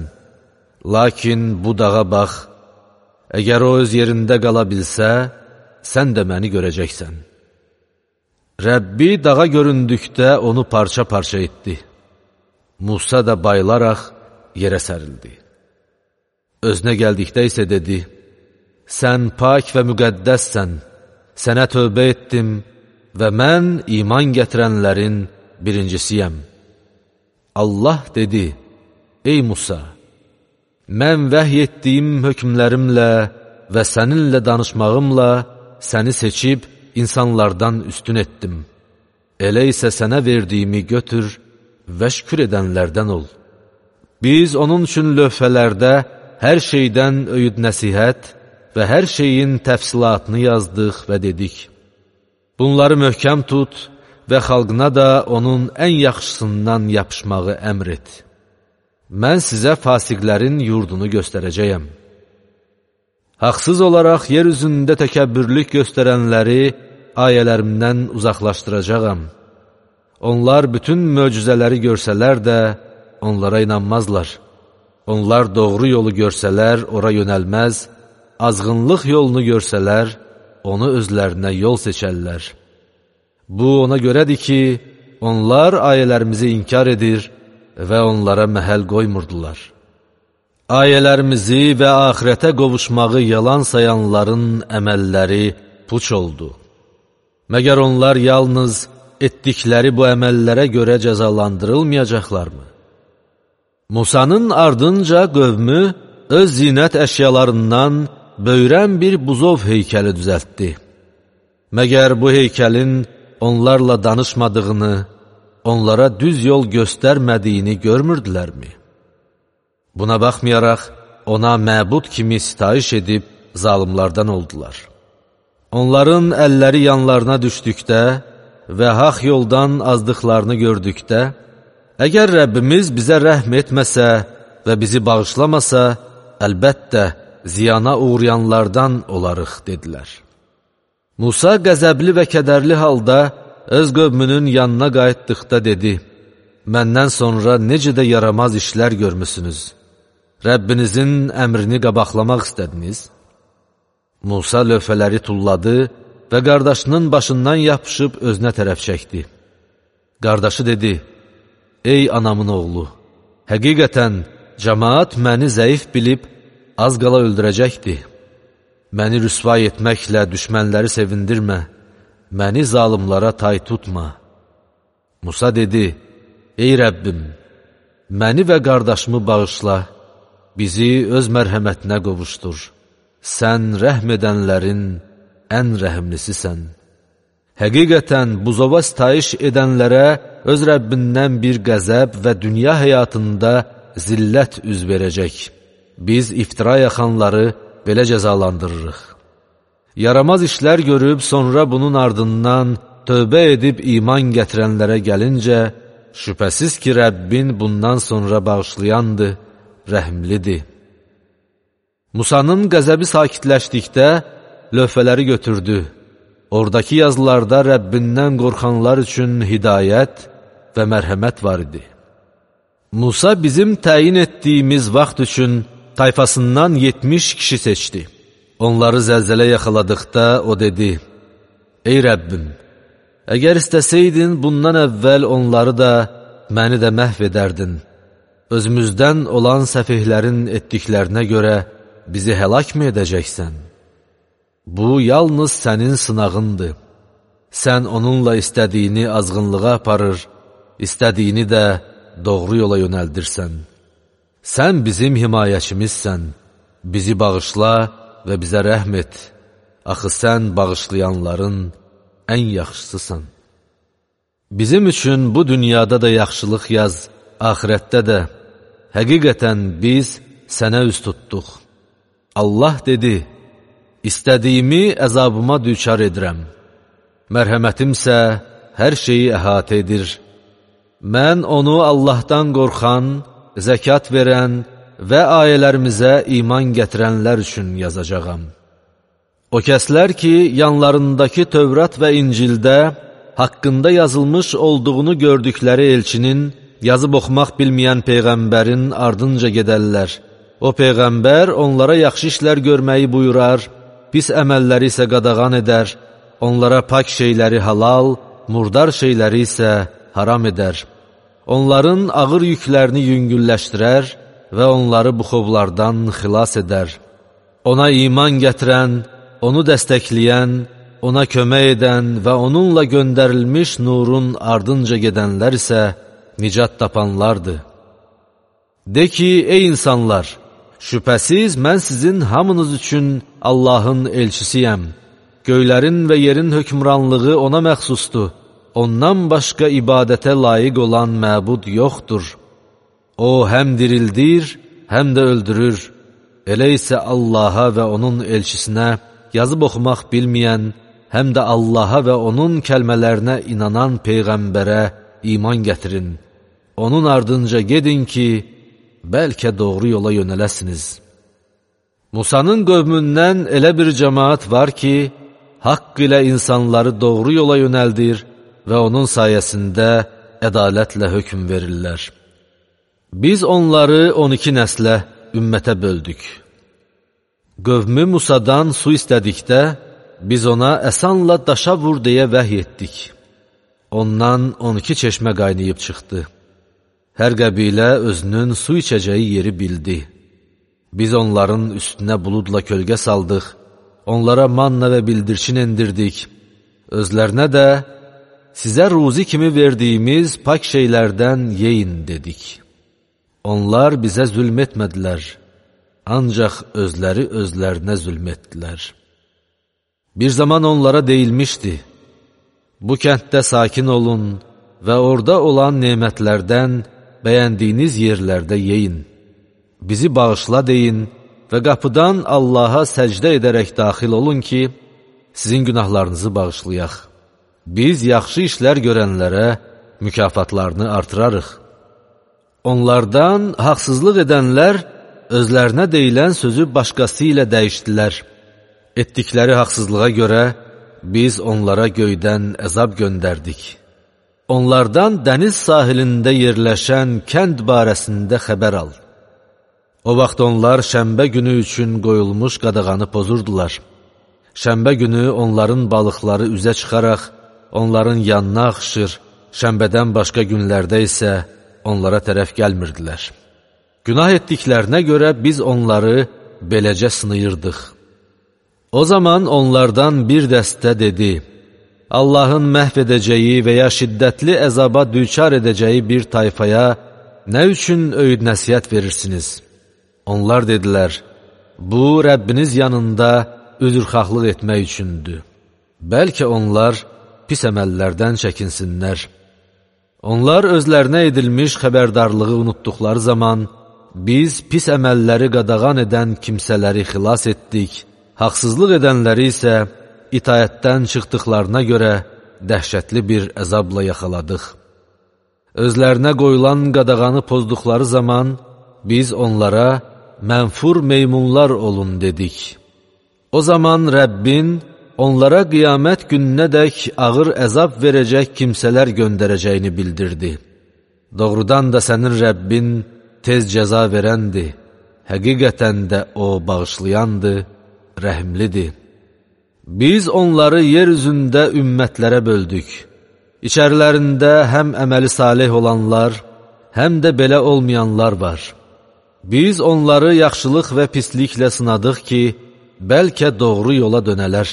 lakin bu dağa bax, əgər o öz yerində qala bilsə, sən də məni görəcəksən. Rəbbi dağa göründükdə onu parça-parça etdi. Musa da bayılaraq yerə sərildi. Özünə gəldikdə isə dedi, sən pak və müqəddəssən, sənə tövbə etdim və mən iman gətirənlərin birincisiyəm. Allah dedi, ey Musa, mən vəhy etdiyim hökmlərimlə və səninlə danışmağımla səni seçib insanlardan üstün etdim. Elə isə sənə verdiyimi götür və şükür edənlərdən ol. Biz onun üçün lövhələrdə hər şeydən öyüd nəsihət və hər şeyin təfsilatını yazdıq və dedik. Bunları möhkəm tut və xalqına da onun ən yaxşısından yapışmağı əmr et. Mən sizə fasiqlərin yurdunu göstərəcəyəm. Haqsız olaraq yer üzündə təkəbbürlük göstərənləri ayələrimdən uzaqlaşdıracağam. Onlar bütün möcüzələri görsələr də onlara inanmazlar. Onlar doğru yolu görsələr ora yönəlməz, azğınlıq yolunu görsələr onu özlərinə yol seçərlər. Bu ona görədir ki, onlar ayələrimizi inkar edir və onlara məhəl qoymurdular. Ayələrimizi və axirətə qovuşmağı yalan sayanların əməlləri puç oldu. Məgər onlar yalnız etdikləri bu əməllərə görə cəzalandırılmayacaqlarmı? Musanın ardınca qövmü öz zinət əşyalarından böyrən bir buzov heykəli düzəltdi. Məgər bu heykəlin onlarla danışmadığını, onlara düz yol göstərmədiyini görmürdülərmi? Buna baxmayaraq, ona məbud kimi sitayiş edib zalimlardan oldular. Onların əlləri yanlarına düşdükdə və haq yoldan azdıqlarını gördükdə, əgər Rəbbimiz bizə rəhm etməsə və bizi bağışlamasa, əlbəttə ziyana uğrayanlardan olarıq, dedilər. Musa qəzəbli və kədərli halda öz qövmünün yanına qayıtdıqda dedi, məndən sonra necə də yaramaz işlər görmüsünüz? Rəbbinizin əmrini qabaqlamaq istədiniz? Musa lövhələri tulladı və qardaşının başından yapışıb özünə tərəf çəkdi. Qardaşı dedi, ey anamın oğlu, həqiqətən cəmaat məni zəif bilib az qala öldürəcəkdir. Məni rüsvay etməklə düşmənləri sevindirmə, məni zalimlara tay tutma. Musa dedi, ey Rəbbim, məni və qardaşımı bağışla, bizi öz mərhəmətinə qovuşdur. Sən rəhm edənlərin ən rəhimlisisən. Həqiqətən buzova sitayiş edənlərə öz Rəbbindən bir qəzəb və dünya həyatında zillət üz verəcək. Biz iftira yaxanları belə cəzalandırırıq. Yaramaz işlər görüb sonra bunun ardından tövbə edib iman gətirənlərə gəlincə, şübhəsiz ki, Rəbbin bundan sonra bağışlayandır, rəhmlidir. Musanın qəzəbi sakitləşdikdə lövhələri götürdü. Oradakı yazılarda Rəbbindən qorxanlar üçün hidayət və mərhəmət var idi. Musa bizim təyin etdiyimiz vaxt üçün tayfasından yetmiş kişi seçdi. Onları zəlzələ yaxaladıqda o dedi, ey Rəbbim, əgər istəsəydin bundan əvvəl onları da, məni də məhv edərdin. Özümüzdən olan səfihlərin etdiklərinə görə bizi həlak mı edəcəksən? Bu, yalnız sənin sınağındır. Sən onunla istədiyini azğınlığa aparır, istədiyini də doğru yola yönəldirsən. Sən bizim himayəçimizsən, bizi bağışla və bizə rəhm et. Axı sən bağışlayanların ən yaxşısısan. Bizim üçün bu dünyada da yaxşılıq yaz, axirətdə də. Həqiqətən biz sənə üz tutduq. Allah dedi, İstədiyimi əzabıma düçar edirəm. Mərhəmətimsə hər şeyi əhatə edir. Mən onu Allahdan qorxan, zəkat verən və ayələrimizə iman gətirənlər üçün yazacağam. O kəslər ki, yanlarındakı Tövrat və İncildə haqqında yazılmış olduğunu gördükləri elçinin, yazıb oxumaq bilməyən Peyğəmbərin ardınca gedərlər. O Peyğəmbər onlara yaxşı işlər görməyi buyurar, pis əməlləri isə qadağan edər, onlara pak şeyləri halal, murdar şeyləri isə haram edər. Onların ağır yüklərini yüngülləşdirər və onları buxovlardan xilas edər. Ona iman gətirən, onu dəstəkləyən, ona kömək edən və onunla göndərilmiş nurun ardınca gedənlər isə nicat tapanlardır. De ki, ey insanlar! Şübhəsiz, mən sizin hamınız üçün Allahın elçisiyəm. Göylərin və yerin hökmranlığı ona məxsusdur. Ondan başqa ibadətə layiq olan məbud yoxdur. O, həm dirildir, həm də öldürür. Elə isə Allaha və onun elçisinə yazıb oxumaq bilməyən, həm də Allaha və onun kəlmələrinə inanan Peyğəmbərə iman gətirin. Onun ardınca gedin ki, bəlkə doğru yola yönələsiniz. Musanın qövmündən elə bir cəmaat var ki, haqq ilə insanları doğru yola yönəldir və onun sayəsində ədalətlə hökm verirlər. Biz onları on iki nəslə, ümmətə böldük. Qövmü Musadan su istədikdə, biz ona əsanla daşa vur deyə vəhy etdik. Ondan on iki çeşmə qaynayıb çıxdı. Hər qəbilə özünün su içəcəyi yeri bildi. Biz onların üstünə buludla kölgə saldıq, onlara manna və bildirçin endirdik. Özlərinə də, sizə ruzi kimi verdiyimiz pak şeylərdən yeyin dedik. Onlar bizə zülm etmədilər, ancaq özləri özlərinə zülm etdilər. Bir zaman onlara deyilmişdi, bu kənddə sakin olun və orada olan nemətlərdən bəyəndiyiniz yerlərdə yeyin. Bizi bağışla deyin və qapıdan Allaha səcdə edərək daxil olun ki, sizin günahlarınızı bağışlayaq. Biz yaxşı işlər görənlərə mükafatlarını artırarıq. Onlardan haqsızlıq edənlər özlərinə deyilən sözü başqası ilə dəyişdilər. Etdikləri haqsızlığa görə biz onlara göydən əzab göndərdik. Onlardan dəniz sahilində yerləşən kənd barəsində xəbər al. O vaxt onlar şənbə günü üçün qoyulmuş qadağanı pozurdular. Şənbə günü onların balıqları üzə çıxaraq, onların yanına axışır, şənbədən başqa günlərdə isə onlara tərəf gəlmirdilər. Günah etdiklərinə görə biz onları beləcə sınayırdıq. O zaman onlardan bir dəstə dedi, Allahın məhv edəcəyi və ya şiddətli əzaba düçar edəcəyi bir tayfaya nə üçün öyüd nəsihət verirsiniz? Onlar dedilər, bu Rəbbiniz yanında üzrxahlıq etmək üçündür. Bəlkə onlar pis əməllərdən çəkinsinlər. Onlar özlərinə edilmiş xəbərdarlığı unutduqları zaman, biz pis əməlləri qadağan edən kimsələri xilas etdik, haqsızlıq edənləri isə itayətdən çıxdıqlarına görə dəhşətli bir əzabla yaxaladıq. Özlərinə qoyulan qadağanı pozduqları zaman, biz onlara mənfur meymunlar olun dedik. O zaman Rəbbin onlara qiyamət gününədək ağır əzab verəcək kimsələr göndərəcəyini bildirdi. Doğrudan da sənin Rəbbin tez cəza verəndir, həqiqətən də O bağışlayandır, rəhimlidir. Biz onları yer üzündə ümmətlərə böldük. İçərilərində həm əməli salih olanlar, həm də belə olmayanlar var. Biz onları yaxşılıq və pisliklə sınadıq ki, bəlkə doğru yola dönələr.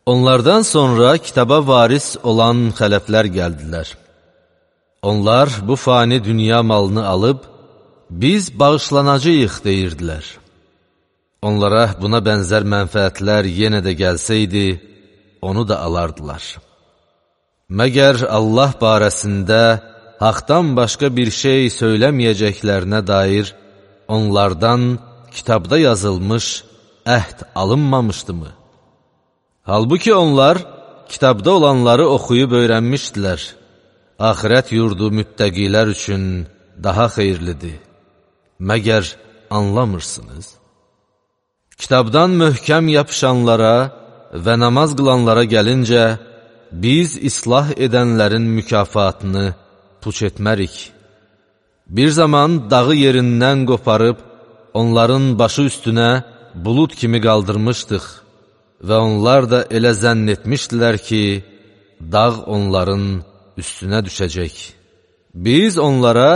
Onlardan sonra kitaba varis olan xələflər gəldilər. Onlar bu fani dünya malını alıb, biz bağışlanacağıq deyirdilər. Onlara buna bənzər mənfəətlər yenə də gəlsəydi, onu da alardılar. Məgər Allah barəsində haqdan başqa bir şey söyləməyəcəklərinə dair onlardan kitabda yazılmış əhd alınmamışdımı? Halbuki onlar kitabda olanları oxuyub öyrənmişdilər. Axirət yurdu müttəqilər üçün daha xeyirlidir. Məgər anlamırsınız? Kitabdan möhkəm yapışanlara və namaz qılanlara gəlincə, biz islah edənlərin mükafatını puç etmərik. Bir zaman dağı yerindən qoparıb, onların başı üstünə bulud kimi qaldırmışdıq və onlar da elə zənn etmişdilər ki, dağ onların üstünə düşəcək. Biz onlara,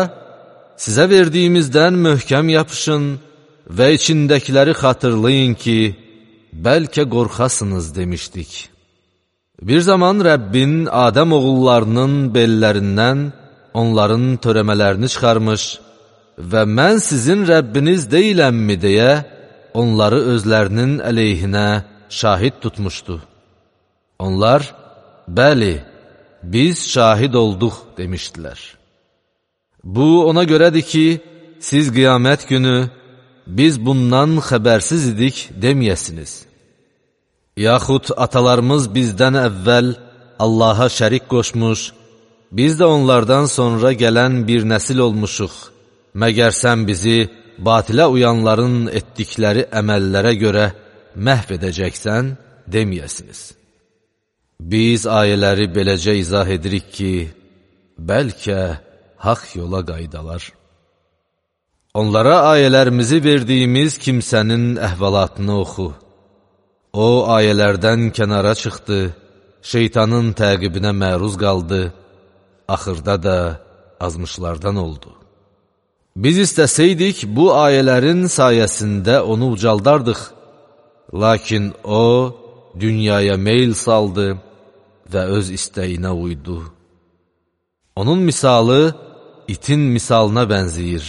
sizə verdiyimizdən möhkəm yapışın və içindəkiləri xatırlayın ki, bəlkə qorxasınız demişdik. Bir zaman Rəbbin Adəm oğullarının bellərindən onların törəmələrini çıxarmış və mən sizin Rəbbiniz deyiləmmi deyə onları özlərinin əleyhinə şahid tutmuşdu. Onlar, bəli, biz şahid olduq demişdilər. Bu ona görədir ki, siz qiyamət günü biz bundan xəbərsiz idik deməyəsiniz. Yaxud atalarımız bizdən əvvəl Allaha şərik qoşmuş, biz də onlardan sonra gələn bir nəsil olmuşuq. Məgər sən bizi batilə uyanların etdikləri əməllərə görə məhv edəcəksən, deməyəsiniz. Biz ayələri beləcə izah edirik ki, bəlkə haqq yola qaydalar. Onlara ayələrimizi verdiyimiz kimsənin əhvalatını oxu. O, ayələrdən kənara çıxdı, şeytanın təqibinə məruz qaldı, axırda da azmışlardan oldu. Biz istəsəydik, bu ayələrin sayəsində onu ucaldardıq. Lakin o, dünyaya meyl saldı və öz istəyinə uydu. Onun misalı itin misalına bənziyir.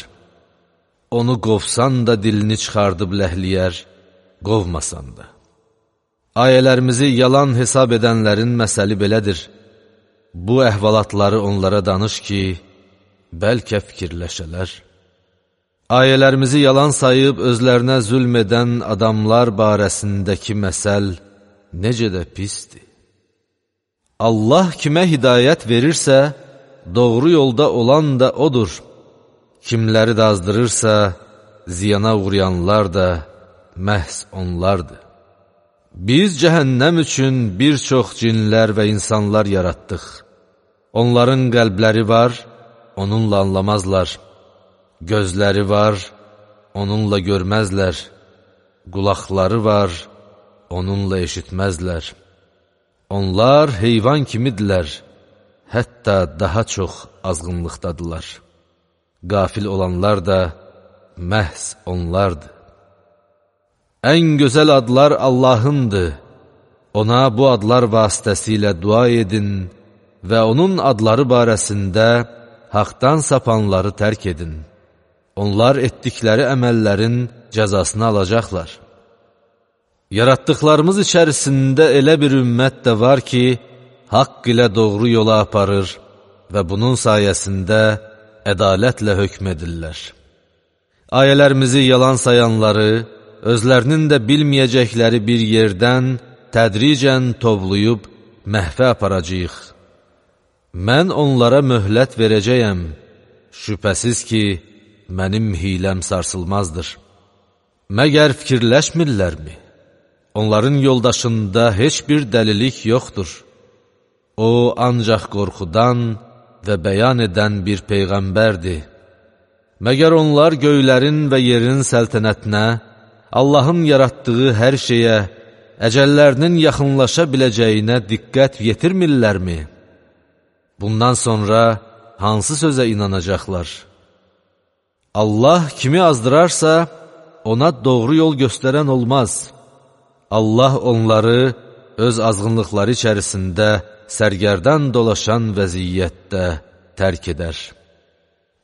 Onu qovsan da dilini çıxardıb ləhliyər, qovmasan da. Ayələrimizi yalan hesab edənlərin məsəli belədir. Bu əhvalatları onlara danış ki, bəlkə fikirləşələr. Ayələrimizi yalan sayıb özlərinə zülm edən adamlar barəsindəki məsəl necə də pisdir. Allah kimə hidayət verirsə, doğru yolda olan da odur. Kimləri də azdırırsa, ziyana uğrayanlar da məhz onlardır. Biz cəhənnəm üçün bir çox cinlər və insanlar yaratdıq. Onların qəlbləri var, onunla anlamazlar. Gözləri var, onunla görməzlər. Qulaqları var, onunla eşitməzlər. Onlar heyvan kimidirlər, hətta daha çox azğınlıqdadılar. Qafil olanlar da məhz onlardır. Ən gözəl adlar Allahındır. Ona bu adlar vasitəsilə dua edin və onun adları barəsində haqdan sapanları tərk edin. Onlar etdikləri əməllərin cəzasını alacaqlar. Yaratdıqlarımız içərisində elə bir ümmət də var ki, haqq ilə doğru yola aparır və bunun sayəsində ədalətlə hökm edirlər. Ayələrimizi yalan sayanları, özlərinin də bilməyəcəkləri bir yerdən tədricən tovlayıb məhvə aparacağıq. Mən onlara möhlət verəcəyəm, şübhəsiz ki, mənim hiləm sarsılmazdır. Məgər fikirləşmirlərmi? Onların yoldaşında heç bir dəlilik yoxdur. O, ancaq qorxudan və bəyan edən bir peyğəmbərdir. Məgər onlar göylərin və yerin səltənətinə, Allahın yaratdığı hər şeyə, əcəllərinin yaxınlaşa biləcəyinə diqqət yetirmirlərmi? Bundan sonra hansı sözə inanacaqlar? Allah kimi azdırarsa, ona doğru yol göstərən olmaz. Allah onları öz azğınlıqları içərisində sərgərdan dolaşan vəziyyətdə tərk edər.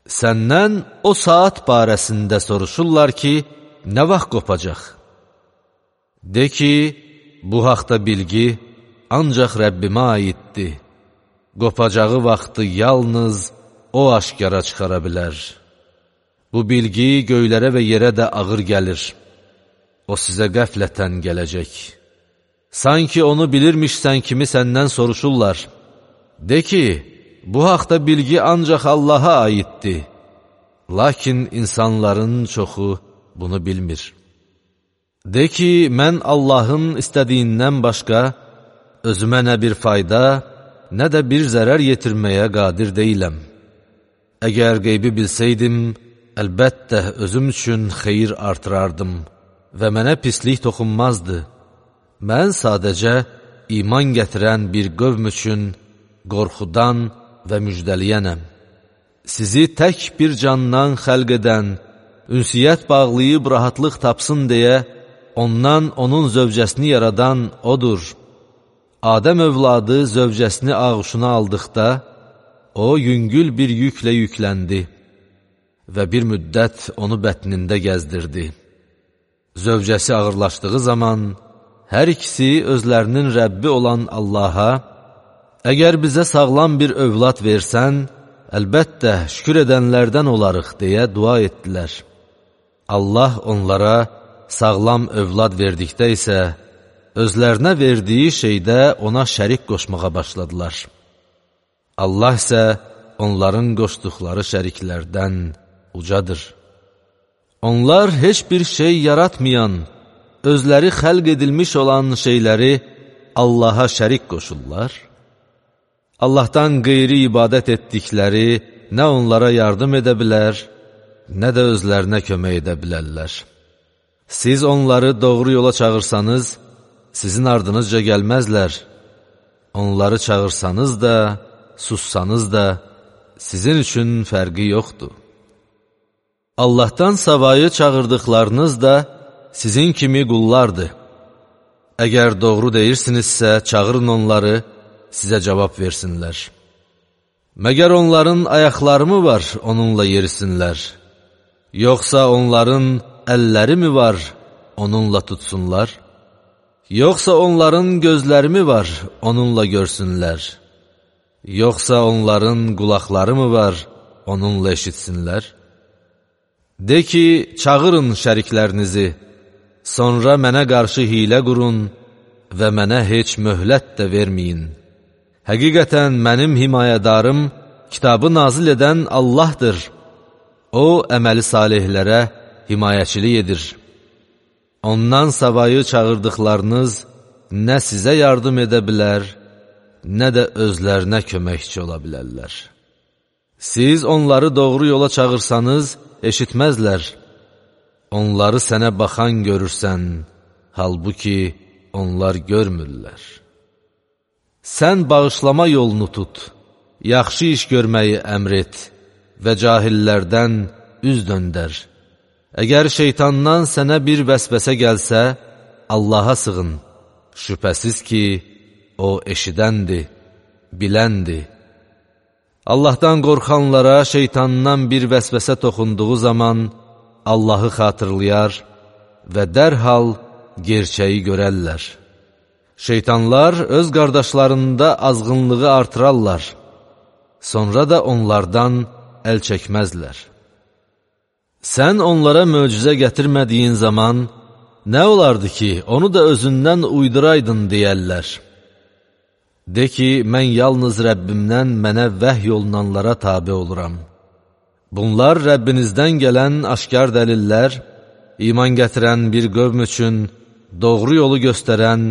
Səndən o saat barəsində soruşurlar ki, nə vaxt qopacaq? De ki, bu haqda bilgi ancaq Rəbbimə aiddir. Qopacağı vaxtı yalnız o aşkara çıxara bilər. Bu bilgi göylərə və yerə də ağır gəlir. O sizə qəflətən gələcək. Sanki onu bilirmişsən kimi səndən soruşurlar. De ki, bu haqda bilgi ancaq Allaha aiddir. Lakin insanların çoxu bunu bilmir. De ki, mən Allahın istədiyindən başqa özümə nə bir fayda, nə də bir zərər yetirməyə qadir deyiləm. Əgər qeybi bilsəydim, əlbəttə özüm üçün xeyir artırardım və mənə pislik toxunmazdı. Mən sadəcə iman gətirən bir qövm üçün qorxudan və müjdəliyənəm. Sizi tək bir candan xəlq edən, ünsiyyət bağlayıb rahatlıq tapsın deyə, ondan onun zövcəsini yaradan odur. Adəm övladı zövcəsini ağuşuna aldıqda, o yüngül bir yüklə yükləndi və bir müddət onu bətnində gəzdirdi. Zövcəsi ağırlaşdığı zaman, hər ikisi özlərinin Rəbbi olan Allaha, əgər bizə sağlam bir övlad versən, əlbəttə şükür edənlərdən olarıq deyə dua etdilər. Allah onlara sağlam övlad verdikdə isə, özlərinə verdiyi şeydə ona şərik qoşmağa başladılar. Allah isə onların qoşduqları şəriklərdən ucadır. Onlar heç bir şey yaratmayan, özləri xəlq edilmiş olan şeyləri Allaha şərik qoşurlar. Allahdan qeyri ibadət etdikləri nə onlara yardım edə bilər, nə də özlərinə kömək edə bilərlər. Siz onları doğru yola çağırsanız, sizin ardınızca gəlməzlər. Onları çağırsanız da, sussanız da, sizin üçün fərqi yoxdur. Allahdan savayı çağırdıqlarınız da sizin kimi qullardır. Əgər doğru deyirsinizsə, çağırın onları, sizə cavab versinlər. Məgər onların ayaqları mı var, onunla yerisinlər? Yoxsa onların əlləri mi var, onunla tutsunlar? Yoxsa onların gözləri mi var, onunla görsünlər? Yoxsa onların qulaqları mı var, onunla eşitsinlər? De ki, çağırın şəriklərinizi, sonra mənə qarşı hilə qurun və mənə heç möhlət də verməyin. Həqiqətən mənim himayədarım, kitabı nazil edən Allahdır. O, əməli salihlərə himayəçilik edir. Ondan savayı çağırdıqlarınız nə sizə yardım edə bilər, nə də özlərinə köməkçi ola bilərlər. Siz onları doğru yola çağırsanız, eşitməzlər. Onları sənə baxan görürsən, halbuki onlar görmürlər. Sən bağışlama yolunu tut, yaxşı iş görməyi əmr et və cahillərdən üz döndər. Əgər şeytandan sənə bir vəsvəsə gəlsə, Allaha sığın. Şübhəsiz ki, o eşidəndir, biləndir. Allahdan qorxanlara şeytandan bir vəsvəsə toxunduğu zaman Allahı xatırlayar və dərhal gerçəyi görərlər. Şeytanlar öz qardaşlarında azğınlığı artırarlar, sonra da onlardan əl çəkməzlər. Sən onlara möcüzə gətirmədiyin zaman, nə olardı ki, onu da özündən uyduraydın deyərlər. De ki, mən yalnız Rəbbimdən mənə vəhy olunanlara tabi oluram. Bunlar Rəbbinizdən gələn aşkar dəlillər, iman gətirən bir qövm üçün doğru yolu göstərən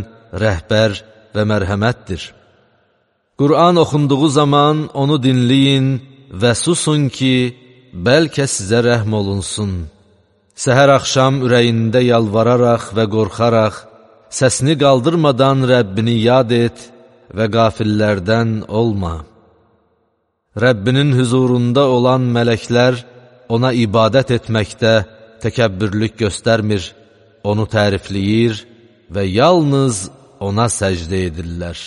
rəhbər və mərhəmətdir. Qur'an oxunduğu zaman onu dinləyin və susun ki, bəlkə sizə rəhm olunsun. Səhər axşam ürəyində yalvararaq və qorxaraq, səsini qaldırmadan Rəbbini yad et və qafillərdən olma. Rəbbinin huzurunda olan mələklər ona ibadət etməkdə təkəbbürlük göstərmir, onu tərifləyir və yalnız ona səcdə edirlər.